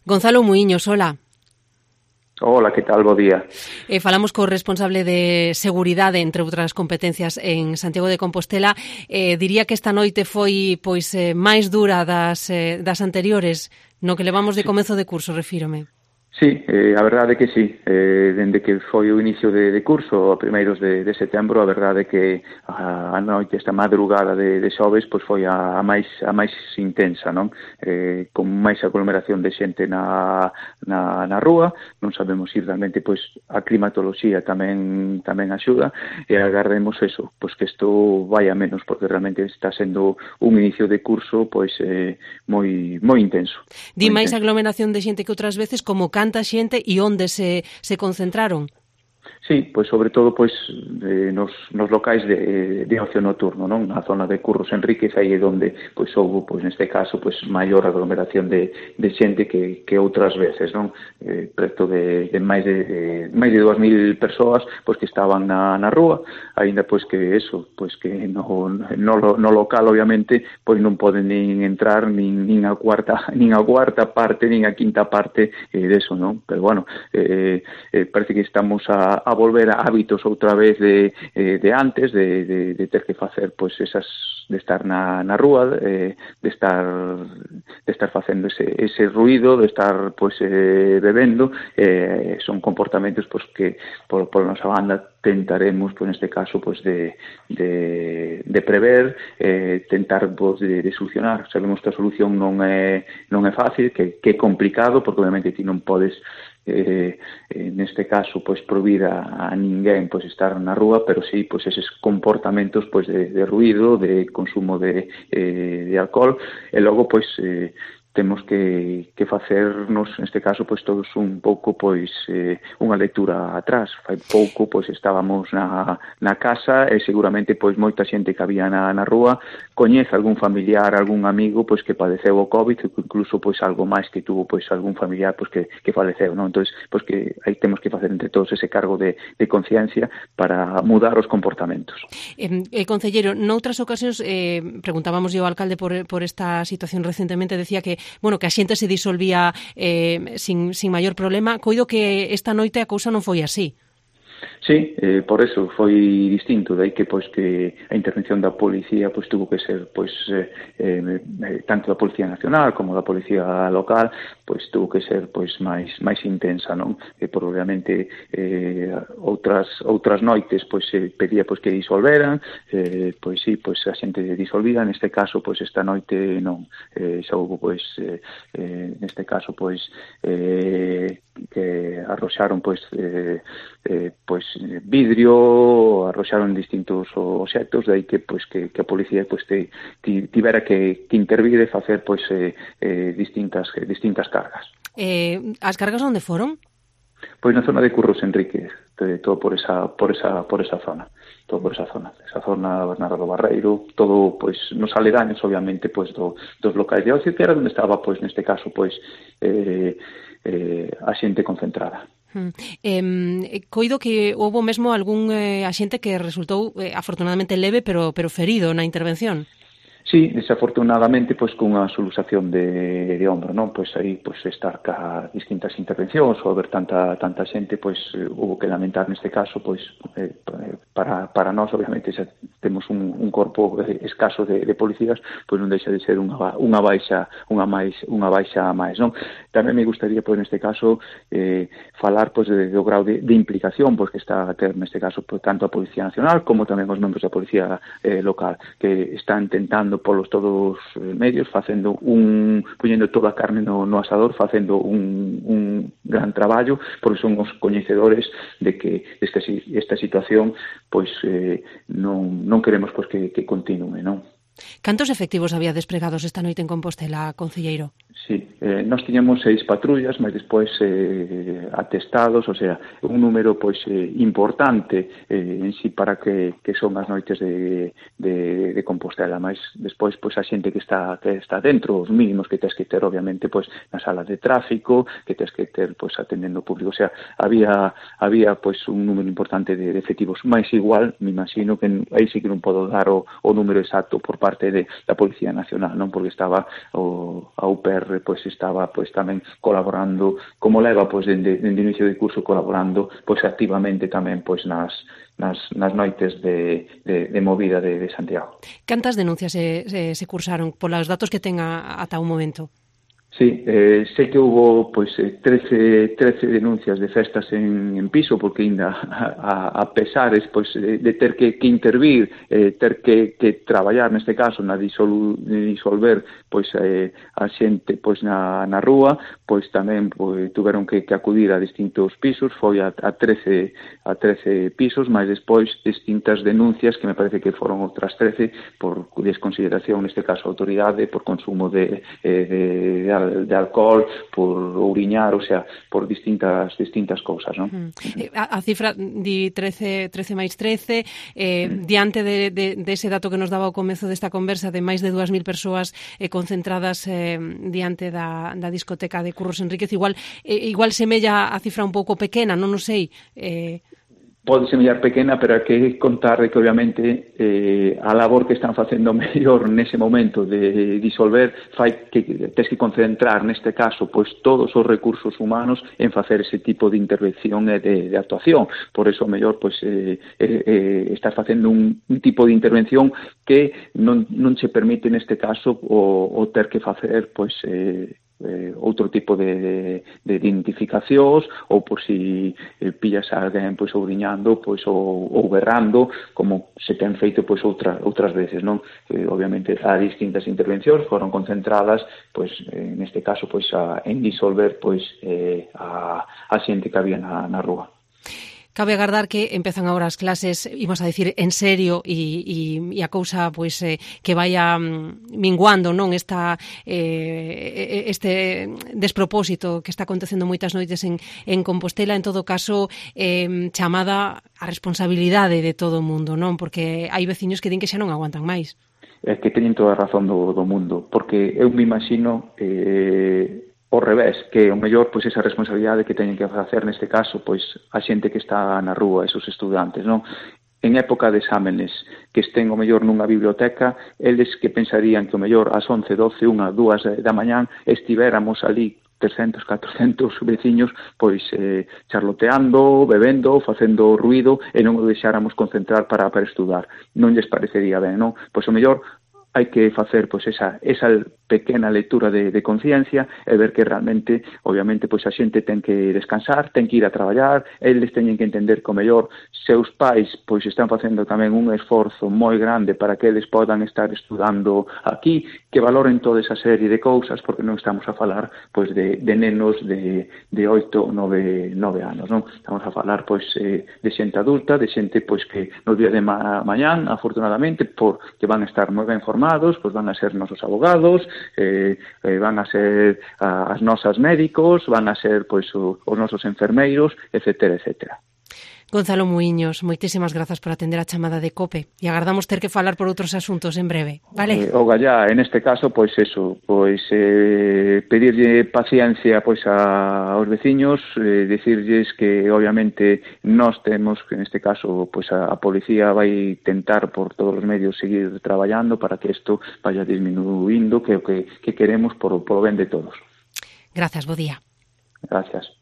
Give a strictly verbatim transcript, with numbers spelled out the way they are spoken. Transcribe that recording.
Gonzalo Muiños, hola. Hola, que tal? Bo día. Eh, falamos co responsable de seguridade, entre outras competencias, en Santiago de Compostela. Eh, diría que esta noite foi pois eh, máis dura das, eh, das anteriores, no que levamos de comezo de curso, refírome. Sí, eh, a verdade é que sí, eh, dende que foi o inicio de, de curso a primeiros de, de setembro, a verdade é que a, a noite, esta madrugada de, de xoves, pois foi a, a máis a máis intensa, non? Eh, con máis aglomeración de xente na, na, na rúa, non sabemos se realmente pois a climatoloxía tamén tamén axuda, e agardemos eso, pois que isto vai a menos, porque realmente está sendo un inicio de curso pois eh, moi moi intenso. Di moi máis intenso. aglomeración de xente que outras veces, como canta xente e onde se, se concentraron? Sí, pois sobre todo pois eh, nos, nos locais de, de ocio nocturno, non? Na zona de Curros Enríquez, aí é onde pois houve, pois neste caso, pois maior aglomeración de, de xente que, que outras veces, non? Eh, preto de, de máis de, de máis de dúas mil persoas pois que estaban na, na rúa, aínda pois que eso, pois que no, no, no local obviamente pois non poden nin entrar nin, nin a cuarta nin a cuarta parte, nin a quinta parte eh, deso, non? Pero bueno, eh, eh, parece que estamos a, a volver a hábitos outra vez de, eh, de antes, de, de, de ter que facer pois esas, de estar na, na rúa, eh, de estar de estar facendo ese, ese ruido, de estar pois eh, bebendo, eh, son comportamentos pois que por, por nosa banda tentaremos, pois neste caso, pois de, de, de prever, eh, tentar pois, de, de solucionar. Sabemos que a solución non é non é fácil, que, que é complicado, porque obviamente ti non podes Eh, eh, neste caso pois prohibir a, a ninguén pois estar na rúa, pero sí pois eses comportamentos pois de, de ruido, de consumo de, eh, de alcohol, e logo pois eh, temos que, que facernos, neste caso, pois todos un pouco, pois, eh, unha lectura atrás. Fai pouco, pois, estábamos na, na casa e seguramente, pois, moita xente que había na, na rúa coñece algún familiar, algún amigo, pois, que padeceu o COVID, incluso, pois, algo máis que tuvo, pois, algún familiar, pois, que, que faleceu, non? Entón, pois, que aí temos que facer entre todos ese cargo de, de conciencia para mudar os comportamentos. Eh, eh, Concelleiro, noutras ocasións, eh, preguntábamos ao alcalde por, por esta situación recentemente, decía que bueno, que a xente se disolvía eh, sin, sin maior problema. Coido que esta noite a cousa non foi así. Sí, eh, por eso foi distinto, dai que pois que a intervención da policía pois tuvo que ser pois eh, eh, tanto da Policía Nacional como da Policía Local, pois tuvo que ser pois máis máis intensa, non? E probablemente eh, outras outras noites pois se pedía pois que disolveran, eh, pois sí, pois a xente disolvida, neste caso pois esta noite non, eh, xa houve pois eh, eh, neste caso pois eh, que arroxaron pois eh, eh, pois vidrio, arroxaron distintos obxectos, de aí que pois que, que a policía pois te, te tivera que, que intervir e facer pois eh, eh, distintas eh, distintas cargas. Eh, as cargas onde foron? Pois na zona de Curros Enríquez, de, todo por esa por esa por esa zona, todo por esa zona, esa zona Bernardo do Barreiro, todo pois nos aledaños obviamente pois do, dos locais de ocio, que era onde estaba pois neste caso pois eh, eh, a xente concentrada. Hmm. Eh, coido que houve mesmo algún eh, axente que resultou eh, afortunadamente leve, pero, pero ferido na intervención. Sí, desafortunadamente, pois cunha solusación de, de ombro, non? Pois aí, pois estar ca distintas intervencións ou haber tanta tanta xente, pois hubo que lamentar neste caso, pois eh, para para nós, obviamente, xa temos un, un corpo escaso de, de policías, pois non deixa de ser unha unha baixa, unha máis unha baixa a máis, non? Tamén me gustaría, pois neste caso, eh, falar pois de, do grau de, de implicación pois que está a ter neste caso pois, tanto a Policía Nacional como tamén os membros da Policía eh, local, que están intentando polos todos os medios, facendo un poñendo toda a carne no, no asador, facendo un, un gran traballo, porque son os coñecedores de que esta, esta situación pois eh, non, non queremos pois que, que continue, non? Cantos efectivos había despregados esta noite en Compostela, concelleiro? Sí, eh, nós tiñamos seis patrullas, mas despois eh, atestados, o sea, un número pois eh, importante eh, en si para que, que son as noites de, de, de Compostela, mas despois pois a xente que está que está dentro, os mínimos que tes que ter obviamente pois na sala de tráfico, que tes que ter pois atendendo o público, o sea, había había pois un número importante de, de efectivos, máis igual, me imagino que aí sí que non podo dar o, o número exacto por parte de, da Policía Nacional, non, porque estaba o a U P R pois estaba pois tamén colaborando, como leva pois dende, dende o inicio do curso colaborando pois activamente tamén pois nas nas, nas noites de, de, de movida de, de Santiago. Cantas denuncias se, se, se cursaron polos datos que ten a, ata o momento? Sí, eh, sei que houve pois, trece, trece denuncias de festas en, en piso, porque ainda a, a pesares pois, de, de ter que, que intervir, eh, ter que, que traballar neste caso na disol, disolver pois, eh, a xente pois, na, na rúa, pois tamén pois, tuveron que, que acudir a distintos pisos, foi a, a, trece, a trece pisos, mas despois distintas denuncias que me parece que foron outras trece por desconsideración, neste caso a autoridade, por consumo de, eh, de, de de alcohol, por ouriñar, o sea, por distintas distintas cousas, non? Mm. A, a cifra di trece, trece máis trece, eh, mm. diante de, de, de ese dato que nos daba ao comezo desta conversa de máis de dúas mil persoas eh, concentradas eh, diante da, da discoteca de Curros Enríquez, igual eh, igual semella a cifra un pouco pequena, non o sei, eh, pode semellar pequena, pero hai que contar que obviamente eh, a labor que están facendo mellor nese momento de disolver fai que tes que concentrar neste caso pois todos os recursos humanos en facer ese tipo de intervención e de, de actuación. Por eso mellor pois eh, eh, estás facendo un, un tipo de intervención que non, non se permite neste caso o, o ter que facer pois eh, Eh, outro tipo de, de, de identificacións ou por si eh, pillas a alguén pois ouriñando pois ou, ou berrando, como se ten feito pois outra, outras veces, non? Eh, obviamente a distintas intervencións foron concentradas pois eh, neste caso pois a, en disolver pois eh, a, a xente que había na, na rúa. Cabe agardar que empezan agora as clases, imos a decir, en serio e, e, e a cousa pois eh, que vaya mm, minguando, non, esta eh, este despropósito que está acontecendo moitas noites en, en Compostela, en todo caso eh, chamada a responsabilidade de todo o mundo, non, porque hai veciños que din que xa non aguantan máis. É que teñen toda a razón do, do mundo, porque eu me imagino eh, ao revés, que o mellor pois esa responsabilidade que teñen que facer neste caso pois a xente que está na rúa, esos estudantes, non? En época de exámenes que estén o mellor nunha biblioteca, eles que pensarían que o mellor ás once, doce, unha, dúas da mañán estivéramos ali trescentos, catrocentos veciños pois eh, charloteando, bebendo, facendo ruido e non o deixáramos concentrar para, para estudar. Non lles parecería ben, non? Pois o mellor hai que facer pois esa esa pequena lectura de, de conciencia e ver que realmente, obviamente, pois a xente ten que descansar, ten que ir a traballar, eles teñen que entender que o mellor seus pais pois están facendo tamén un esforzo moi grande para que eles podan estar estudando aquí, que valoren toda esa serie de cousas, porque non estamos a falar pois de, de nenos de, de oito, nove, nove anos, non? Estamos a falar pois eh, de xente adulta, de xente pois que nos día de ma mañán, afortunadamente, por que van a estar moi ben formados, pois van a ser nosos abogados, Eh, eh, van a ser a, as nosas médicos, van a ser pois o, os nosos enfermeiros, etcétera, etcétera. Gonzalo Muiños, moitísimas grazas por atender a chamada de COPE e agardamos ter que falar por outros asuntos en breve, vale? Eh, o gallá, en este caso, pois eso, pois eh, pedirlle paciencia pois a, aos veciños, eh, decirlles que obviamente nós temos, que en este caso, pois a, a policía vai tentar por todos os medios seguir traballando para que isto vaya disminuindo, que o que, que queremos por, por o ben de todos. Grazas, bo día. Gracias.